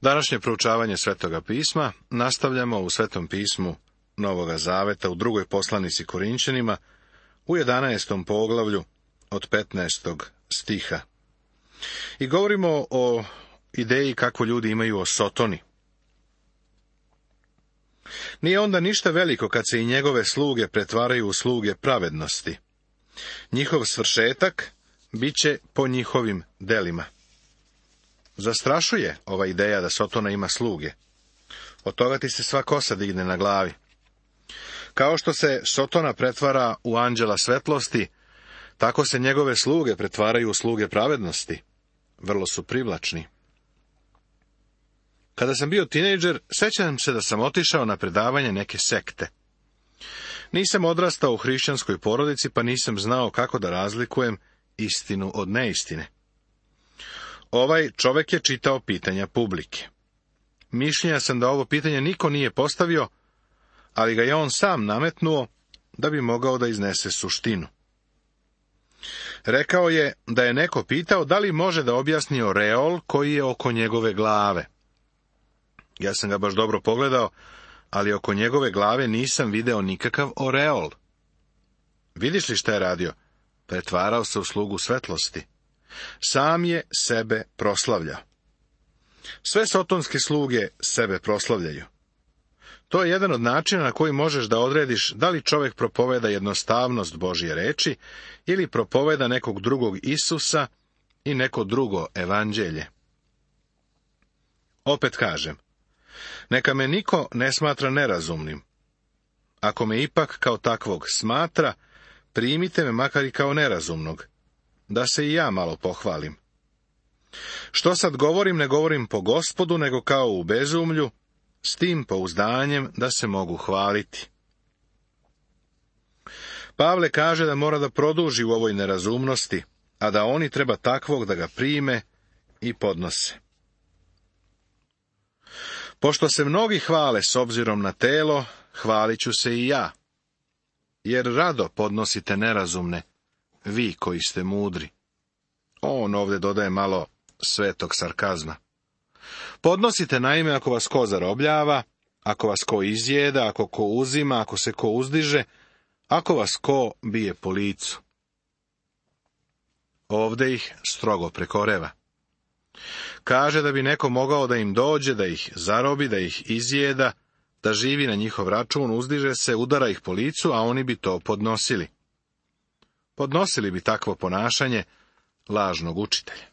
Današnje proučavanje Svetoga pisma nastavljamo u Svetom pismu Novoga Zaveta u drugoj poslanici Korinćanima u 11. poglavlju od 15. stiha. I govorimo o ideji kako ljudi imaju o Sotoni. Nije onda ništa veliko kad se i njegove sluge pretvaraju u sluge pravednosti. Njihov svršetak bit će po njihovim delima. Zastrašuje ova ideja da Sotona ima sluge. Od toga ti se sva kosa digne na glavi. Kao što se Sotona pretvara u anđela svetlosti, tako se njegove sluge pretvaraju u sluge pravednosti. Vrlo su privlačni. Kada sam bio tinejdžer, sećam se da sam otišao na predavanje neke sekte. Nisam odrastao u hrišćanskoj porodici, pa nisam znao kako da razlikujem istinu od neistine. Ovaj čovek je čitao pitanja publike. Mišljenja sam da ovo pitanje niko nije postavio, ali ga je on sam nametnuo da bi mogao da iznese suštinu. Rekao je da je neko pitao da li može da objasni oreol koji je oko njegove glave. Ja sam ga baš dobro pogledao, ali oko njegove glave nisam video nikakav oreol. Vidiš li šta je radio? Pretvarao se u slugu svetlosti. Sam je sebe proslavljao. Sve sotonske sluge sebe proslavljaju. To je jedan od načina na koji možeš da odrediš da li čovjek propoveda jednostavnost Božje reči ili propoveda nekog drugog Isusa i neko drugo evanđelje. Opet kažem, neka me niko ne smatra nerazumnim. Ako me ipak kao takvog smatra, primite me makar i kao nerazumnog, da se i ja malo pohvalim. Što sad govorim, ne govorim po Gospodu, nego kao u bezumlju, s tim pouzdanjem da se mogu hvaliti. Pavle kaže da mora da produži u ovoj nerazumnosti, a da oni treba takvog da ga prime i podnose. Pošto se mnogi hvale s obzirom na telo, hvalit ću se i ja, jer rado podnosite nerazumne, vi koji ste mudri. On ovdje dodaje malo svetog sarkazma. Podnosite naime ako vas ko zarobljava, ako vas ko izjeda, ako ko uzima, ako se ko uzdiže, ako vas ko bije po licu. Ovdje ih strogo prekoreva. Kaže da bi neko mogao da im dođe, da ih zarobi, da ih izjeda, da živi na njihov račun, uzdiže se, udara ih po licu, a oni bi to podnosili. Podnosili bi takvo ponašanje lažnog učitelja.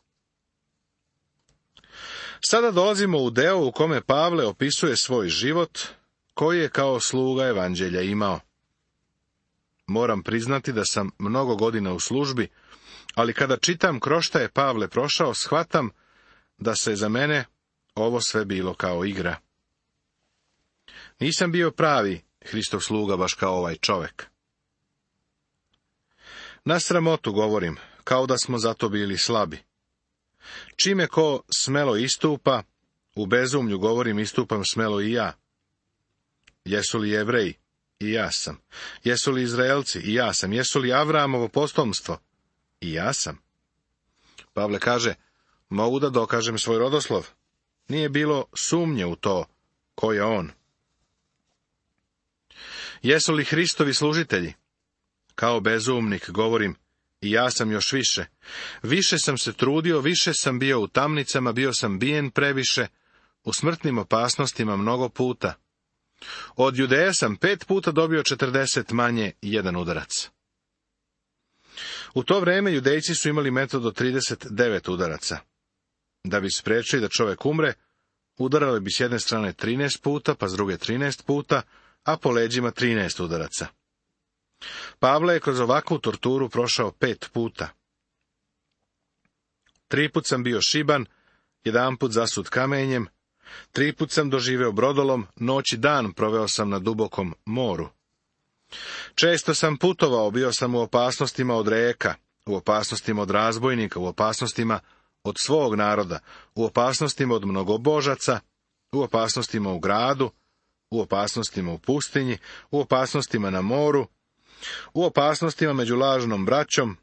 Sada dolazimo u deo u kome Pavle opisuje svoj život, koji je kao sluga evanđelja imao. Moram priznati da sam mnogo godina u službi, ali kada čitam kroz šta je Pavle prošao, shvatam da se za mene ovo sve bilo kao igra. Nisam bio pravi Hristov sluga baš kao ovaj čovek. Na sramotu govorim, kao da smo zato bili slabi. Čime ko smelo istupa, u bezumlju govorim istupam smelo i ja. Jesu li Jevreji? I ja sam. Jesu li Izraelci? I ja sam. Jesu li Avramovo potomstvo? I ja sam. Pavle kaže, mogu da dokažem svoj rodoslov. Nije bilo sumnje u to, ko je on. Jesu li Hristovi služitelji? Kao bezumnik govorim, i ja sam još više. Više sam se trudio, više sam bio u tamnicama, bio sam bijen previše, u smrtnim opasnostima mnogo puta. Od Judeja sam 5 puta dobio 40 manje 1 udarac. U to vreme Judejci su imali metod od 39 udaraca. Da bi spriječili da čovjek umre, udarali bi s jedne strane 13 puta, pa s druge 13 puta, a po leđima 13 udaraca. Pavle je kroz ovakvu torturu prošao 5 puta. 3 put sam bio šiban, 1 put zasut kamenjem, 3 put sam doživeo brodolom, noć i dan proveo sam na dubokom moru. Često sam putovao, bio sam u opasnostima od reka, u opasnostima od razbojnika, u opasnostima od svog naroda, u opasnostima od mnogobožaca, u opasnostima u gradu, u opasnostima u pustinji, u opasnostima na moru, u opasnostima među lažnom braćom,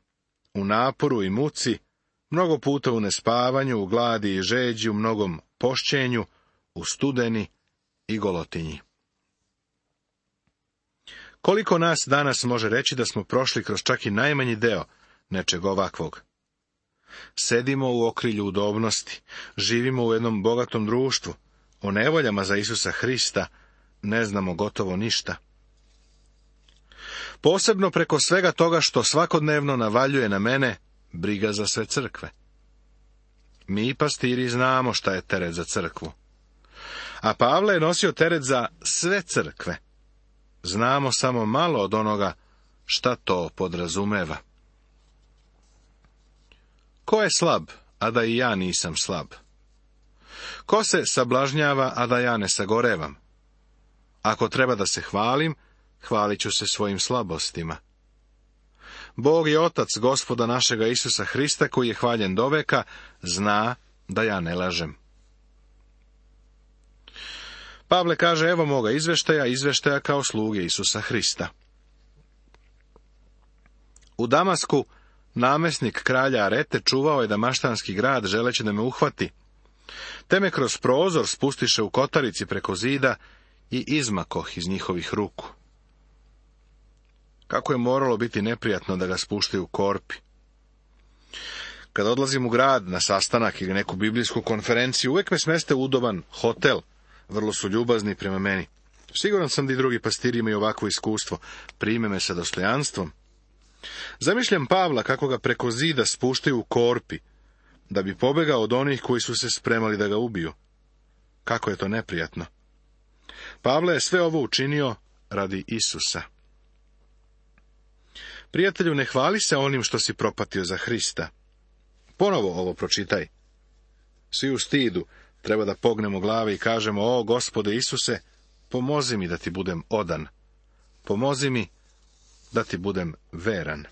u naporu i muci, mnogo puta u nespavanju, u gladi i žeđi, u mnogom pošćenju, u studeni i golotinji. Koliko nas danas može reći da smo prošli kroz čak i najmanji deo nečeg ovakvog? Sedimo u okrilju udobnosti, živimo u jednom bogatom društvu, o nevoljama za Isusa Hrista ne znamo gotovo ništa. Posebno preko svega toga što svakodnevno navaljuje na mene briga za sve crkve. Mi, pastiri, znamo šta je teret za crkvu. A Pavle je nosio teret za sve crkve. Znamo samo malo od onoga šta to podrazumeva. Ko je slab, a da i ja nisam slab? Ko se sablažnjava, a da ja ne sagorevam? Ako treba da se hvalim, hvalit ću se svojim slabostima. Bog je Otac Gospoda našega Isusa Hrista, koji je hvaljen doveka, zna da ja ne lažem. Pavle kaže, evo moga izveštaja kao sluge Isusa Hrista. U Damasku namesnik kralja Arete čuvao je damaštanski grad, želeći da me uhvati. Te me kroz prozor spustiše u kotarici preko zida i izmakoh iz njihovih ruku. Kako je moralo biti neprijatno da ga spuštaju u korpi. Kad odlazim u grad na sastanak ili neku biblijsku konferenciju, uvijek me smeste u udoban hotel. Vrlo su ljubazni prema meni. Siguran sam da i drugi pastiri imaju ovakvo iskustvo. Prime me sa dostojanstvom. Zamišljam Pavla kako ga preko zida spuštaju u korpi, da bi pobegao od onih koji su se spremali da ga ubiju. Kako je to neprijatno. Pavle je sve ovo učinio radi Isusa. Prijatelju, ne hvali se onim što si propatio za Hrista. Ponovo ovo pročitaj. Svi u stidu treba da pognemo glave i kažemo, o Gospode Isuse, pomozi mi da ti budem odan. Pomozi mi da ti budem veran.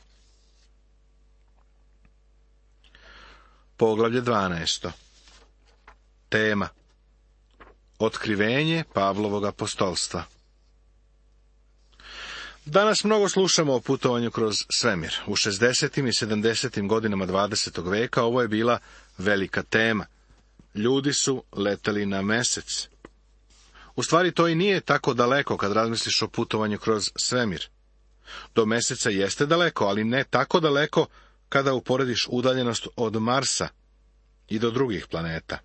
Poglavlje 12. Tema: Otkrivenje Pavlovog apostolstva. Danas mnogo slušamo o putovanju kroz svemir. U 60. i 70. godinama 20. veka ovo je bila velika tema. Ljudi su leteli na mesec. U stvari to i nije tako daleko kad razmisliš o putovanju kroz svemir. Do meseca jeste daleko, ali ne tako daleko kada uporediš udaljenost od Marsa i do drugih planeta.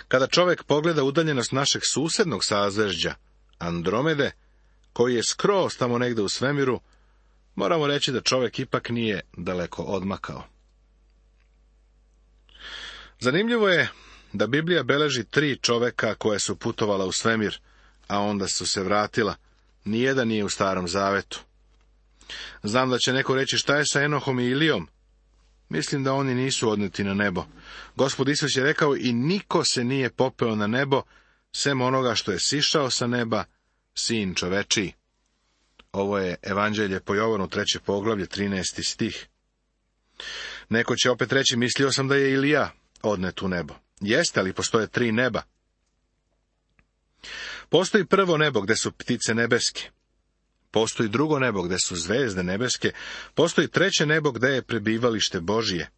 Kada čovjek pogleda udaljenost našeg susednog sazvežđa, Andromede, koji je skroz tamo negde u svemiru, moramo reći da čovjek ipak nije daleko odmakao. Zanimljivo je da Biblija beleži 3 čoveka koja su putovala u svemir, a onda su se vratila. Nijedan nije u Starom Zavetu. Znam da će neko reći, šta je sa Enohom i Ilijom? Mislim da oni nisu odneti na nebo. Gospod Isus je rekao, i niko se nije popeo na nebo, sem onoga što je sišao sa neba, Sin čovečiji. Ovo je Evanđelje po Jovanu, 3. poglavlje, 13. stih. Neko će opet reći, mislio sam da je Ilija odnet u nebo. Jeste, ali postoje 3 neba. Postoji prvo nebo gde su ptice nebeske. Postoji drugo nebo gde su zvezde nebeske. Postoji 3. nebo gde je prebivalište Božije.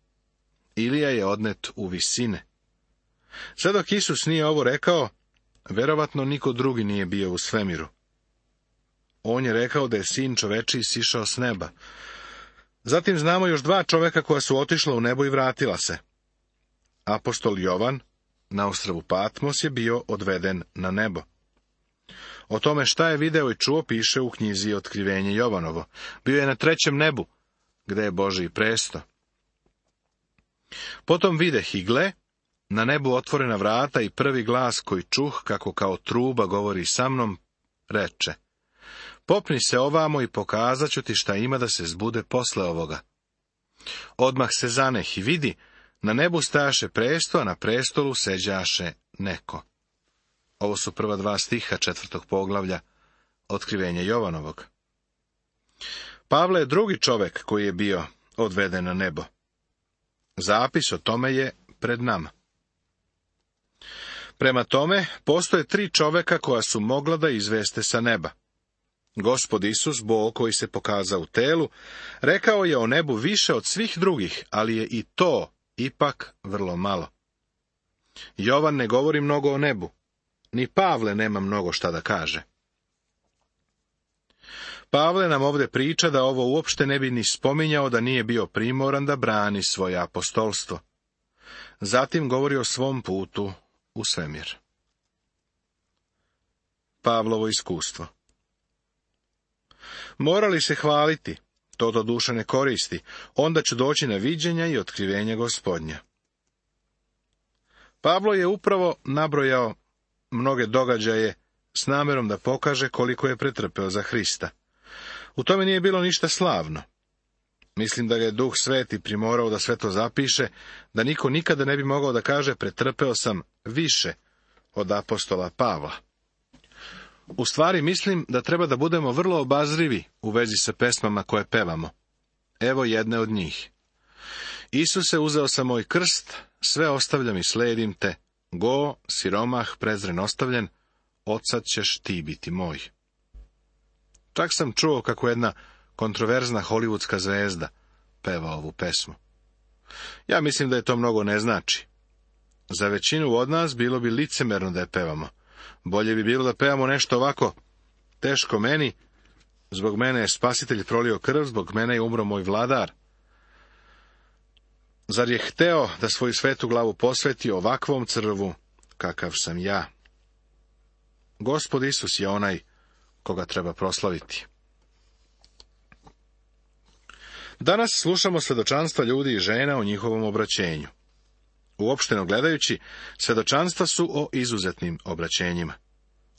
Ilija je odnet u visine. Sad dok Isus nije ovo rekao, verovatno niko drugi nije bio u svemiru. On je rekao da je Sin čovečiji sišao s neba. Zatim znamo još 2 čoveka koja su otišla u nebo i vratila se. Apostol Jovan na ostrvu Patmos je bio odveden na nebo. O tome šta je video i čuo piše u knjizi Otkrivenje Jovanovo. Bio je na 3. nebu, gde je Božji presto. Potom videh i gle, na nebu otvorena vrata i prvi glas koji čuh, kako kao truba govori sa mnom, reče: popni se ovamo i pokazat ću ti šta ima da se zbude posle ovoga. Odmah se zaneh i vidi, na nebu stajaše presto, a na prestolu seđaše neko. Ovo su prva 2 stiha 4. poglavlja Otkrivenje Jovanovog. Pavle je drugi čovek koji je bio odveden na nebo. Zapis o tome je pred nama. Prema tome, postoje 3 čoveka koja su mogla da izveste sa neba. Gospod Isus, Bog koji se pokazao u telu, rekao je o nebu više od svih drugih, ali je i to ipak vrlo malo. Jovan ne govori mnogo o nebu. Ni Pavle nema mnogo šta da kaže. Pavle nam ovdje priča da ovo uopšte ne bi ni spominjao da nije bio primoran da brani svoje apostolstvo. Zatim govori o svom putu u svemir. Pavlovo iskustvo. Morali se hvaliti, to doduše ne koristi, onda ću doći na viđenja i otkrivenja Gospodnja. Pavlo je upravo nabrojao mnoge događaje s namjerom da pokaže koliko je pretrpeo za Hrista. U tome nije bilo ništa slavno. Mislim da ga je Duh Sveti primorao da sve to zapiše, da niko nikada ne bi mogao da kaže pretrpeo sam više od apostola Pavla. U stvari mislim da treba da budemo vrlo obazrivi u vezi sa pesmama koje pevamo. Evo jedne od njih. Isuse, uzeo sam moj krst, sve ostavljam i sledim te, go, siromah, prezren ostavljen, odsad ćeš ti biti moj. Čak sam čuo kako jedna kontroverzna hollywoodska zvezda peva ovu pesmu. Ja mislim da je to mnogo ne znači. Za većinu od nas bilo bi licemerno da je pevamo. Bolje bi bilo da pevamo nešto ovako: teško meni, zbog mene je Spasitelj prolio krv, zbog mene je umro moj vladar. Zar je hteo da svoju svetu glavu posveti ovakvom crvu, kakav sam ja? Gospod Isus je onaj koga treba proslaviti. Danas slušamo svedočanstva ljudi i žena o njihovom obraćenju. Uopšteno gledajući, svedočanstva su o izuzetnim obraćenjima.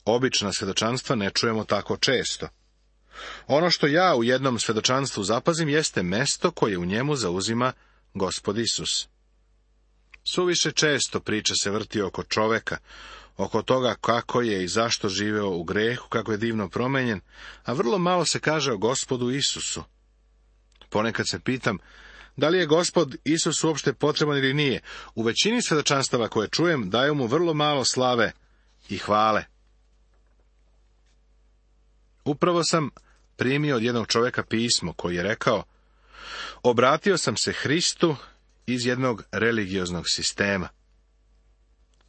Obična svedočanstva ne čujemo tako često. Ono što ja u jednom svedočanstvu zapazim jeste mesto koje u njemu zauzima Gospod Isus. Suviše često priča se vrti oko čoveka, oko toga kako je i zašto živeo u grehu, kako je divno promenjen, a vrlo malo se kaže o Gospodu Isusu. Ponekad se pitam, da li je Gospod Isus uopšte potreban ili nije. U većini svedočanstava koje čujem daju mu vrlo malo slave i hvale. Upravo sam primio od jednog čovjeka pismo koji je rekao: obratio sam se Hristu iz jednog religioznog sistema.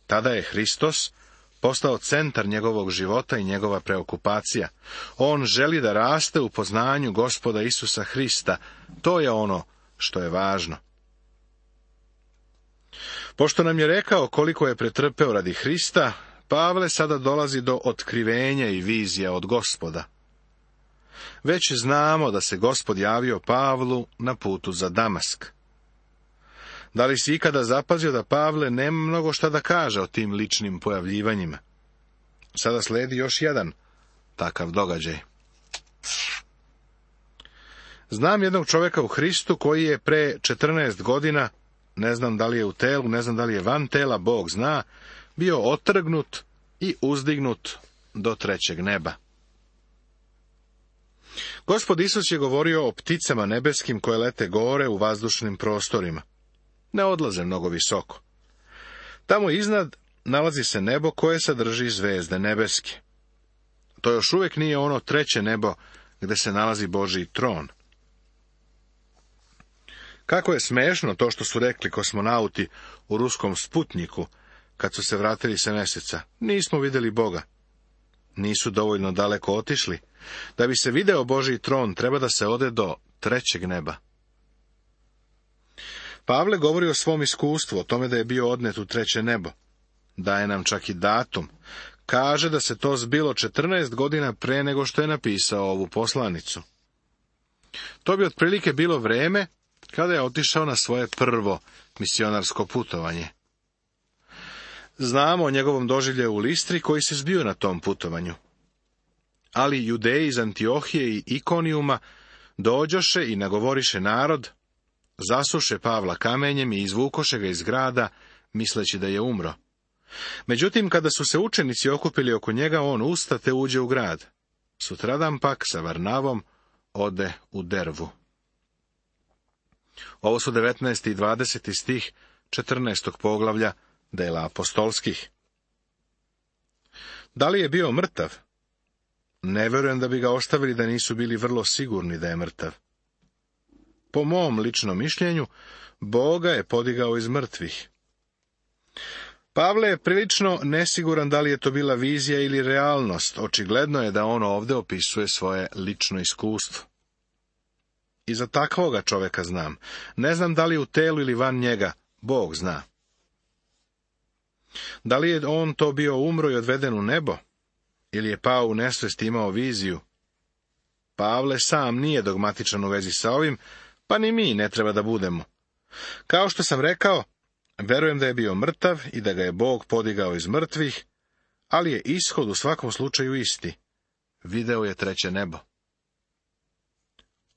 Tada je Hristos postao centar njegovog života i njegova preokupacija. On želi da raste u poznanju Gospoda Isusa Hrista. To je ono što je važno. Pošto nam je rekao koliko je pretrpeo radi Hrista, Pavle sada dolazi do otkrivenja i vizija od Gospoda. Već znamo da se Gospod javio Pavlu na putu za Damask. Da li si ikada zapazio da Pavle nema mnogo šta da kaže o tim ličnim pojavljivanjima? Sada sledi još jedan takav događaj. Znam jednog čovjeka u Hristu koji je pre 14 godina, ne znam da li je u telu, ne znam da li je van tela, Bog zna, bio otrgnut i uzdignut do 3. neba. Gospod Isus je govorio o pticama nebeskim koje lete gore u vazdušnim prostorima. Ne odlaze mnogo visoko. Tamo iznad nalazi se nebo koje sadrži zvezde nebeske. To još uvijek nije ono 3. nebo gdje se nalazi Božji tron. Kako je smešno to što su rekli kosmonauti u ruskom Sputniku kad su se vratili sa mjeseca: nismo vidjeli Boga. Nisu dovoljno daleko otišli. Da bi se video Božji tron, treba da se ode do 3. neba. Pavle govori o svom iskustvu, o tome da je bio odnet u 3. nebo. Daje nam čak i datum. Kaže da se to zbilo 14 godina pre nego što je napisao ovu poslanicu. To bi otprilike bilo vreme kada je otišao na svoje prvo misionarsko putovanje. Znamo o njegovom doživljaju u Listri koji se zbio na tom putovanju. Ali Judeji iz Antiohije i Ikonijuma dođoše i nagovoriše narod, zasuše Pavla kamenjem i izvukoše ga iz grada, misleći da je umro. Međutim, kada su se učenici okupili oko njega, on usta te uđe u grad. Sutradan pak sa Varnavom ode u Dervu. Ovo su 19. i 20. stih 14. poglavlja dela apostolskih. Da li je bio mrtav? Ne vjerujem da bi ga ostavili da nisu bili vrlo sigurni da je mrtav. Po mom ličnom mišljenju, Bog ga je podigao iz mrtvih. Pavle je prilično nesiguran da li je to bila vizija ili realnost. Očigledno je da on ovdje opisuje svoje lično iskustvo. I za takvoga čovjeka znam. Ne znam da li u telu ili van njega, Bog zna. Da li je on to bio umro i odveden u nebo? Ili je pao u nesvest i imao viziju? Pavle sam nije dogmatičan u vezi sa ovim, pa ni mi ne treba da budemo. Kao što sam rekao, verujem da je bio mrtav i da ga je Bog podigao iz mrtvih, ali je ishod u svakom slučaju isti. Video je treće nebo.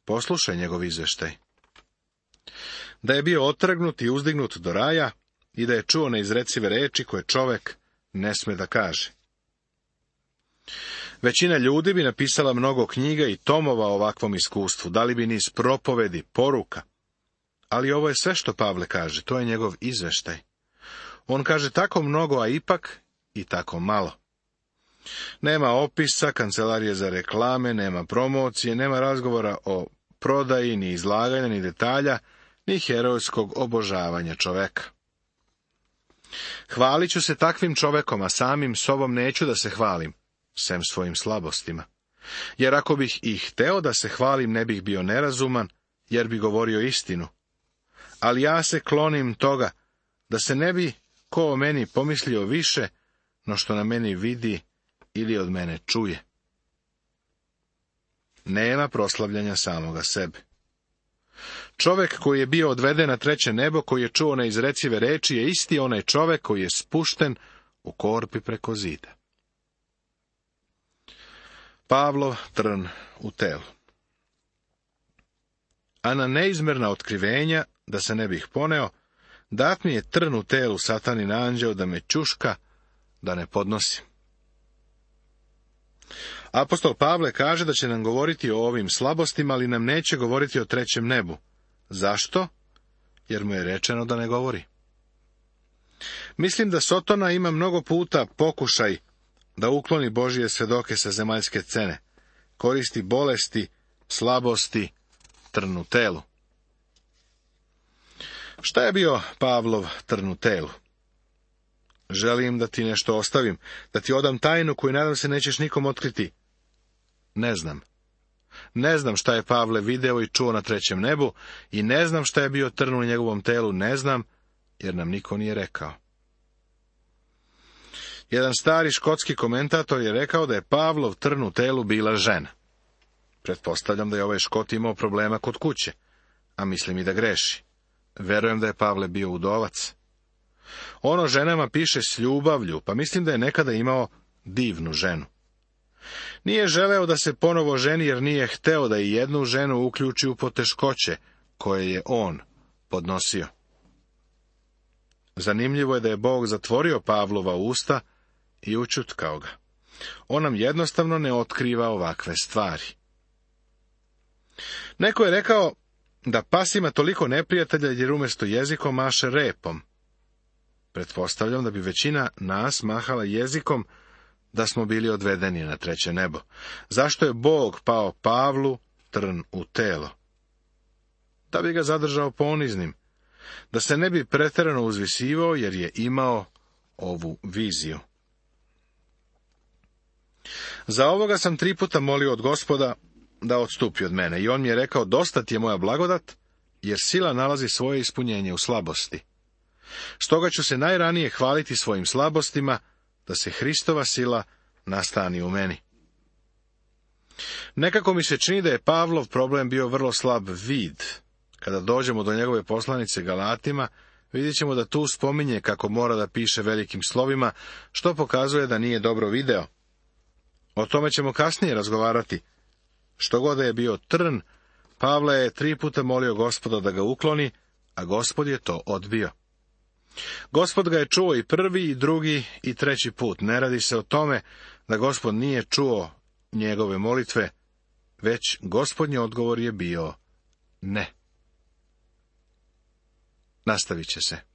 Poslušaj njegov izveštaj. Da je bio otrgnut i uzdignut do raja i da je čuo neizrecive reči koje čovek ne sme da kaže. Većina ljudi bi napisala mnogo knjiga i tomova o ovakvom iskustvu, dali bi niz propovedi, poruka. Ali ovo je sve što Pavle kaže, to je njegov izveštaj. On kaže tako mnogo, a ipak i tako malo. Nema opisa, kancelarije za reklame, nema promocije, nema razgovora o prodaji, ni izlaganja, ni detalja, ni herojskog obožavanja čoveka. Hvalit ću se takvim čovekom, a samim sobom neću da se hvalim, sem svojim slabostima. Jer ako bih i hteo da se hvalim, ne bih bio nerazuman, jer bi govorio istinu. Ali ja se klonim toga, da se ne bi ko o meni pomislio više, no što na meni vidi ili od mene čuje. Nema proslavljanja samoga sebe. Čovek koji je bio odveden na treće nebo, koji je čuo neizrecive reči, je isti onaj čovek koji je spušten u korpi preko zida. Pavlov trn u telu. A na neizmerna otkrivenja, da se ne bih poneo, dat mi je trn u telu satanin anđeo da me ćuška, da ne podnosim. Apostol Pavle kaže da će nam govoriti o ovim slabostima, ali nam neće govoriti o trećem nebu. Zašto? Jer mu je rečeno da ne govori. Mislim da Sotona ima mnogo puta pokušaj da ukloni Božije svedoke sa zemaljske scene. Koristi bolesti, slabosti, trn u telu. Šta je bio Pavlov trn u telu? Želim da ti nešto ostavim, da ti odam tajnu koju nadam se nećeš nikom otkriti. Ne znam. Ne znam šta je Pavle video i čuo na trećem nebu i ne znam šta je bio trn u njegovom telu, ne znam, jer nam niko nije rekao. Jedan stari škotski komentator je rekao da je Pavlov trn u telu bila žena. Pretpostavljam da je ovaj Škot imao problema kod kuće, a mislim i da greši. Verujem da je Pavle bio udovac. Ono ženama piše s ljubavlju, pa mislim da je nekada imao divnu ženu. Nije želeo da se ponovo ženi jer nije hteo da i jednu ženu uključi u poteškoće koje je on podnosio. Zanimljivo je da je Bog zatvorio Pavlova usta i ućutkao ga. On nam jednostavno ne otkriva ovakve stvari. Neko je rekao da pas ima toliko neprijatelja jer umjesto jezikom maše repom. Pretpostavljam da bi većina nas mahala jezikom da smo bili odvedeni na treće nebo. Zašto je Bog pao Pavlu trn u telo? Da bi ga zadržao poniznim, da se ne bi pretjerano uzvisivao jer je imao ovu viziju. Za ovoga sam 3 puta molio od Gospoda da odstupi od mene i on mi je rekao, dosta ti je moja blagodat, jer sila nalazi svoje ispunjenje u slabosti. Stoga ću se najranije hvaliti svojim slabostima, da se Hristova sila nastani u meni. Nekako mi se čini da je Pavlov problem bio vrlo slab vid. Kada dođemo do njegove poslanice Galatima, vidjet ćemo da tu spominje kako mora da piše velikim slovima, što pokazuje da nije dobro video. O tome ćemo kasnije razgovarati. Što god da je bio trn, Pavle je 3 puta molio Gospoda da ga ukloni, a Gospod je to odbio. Gospod ga je čuo i prvi, i drugi, i treći put. Ne radi se o tome da Gospod nije čuo njegove molitve, već Gospodnji odgovor je bio ne. Nastavit će se.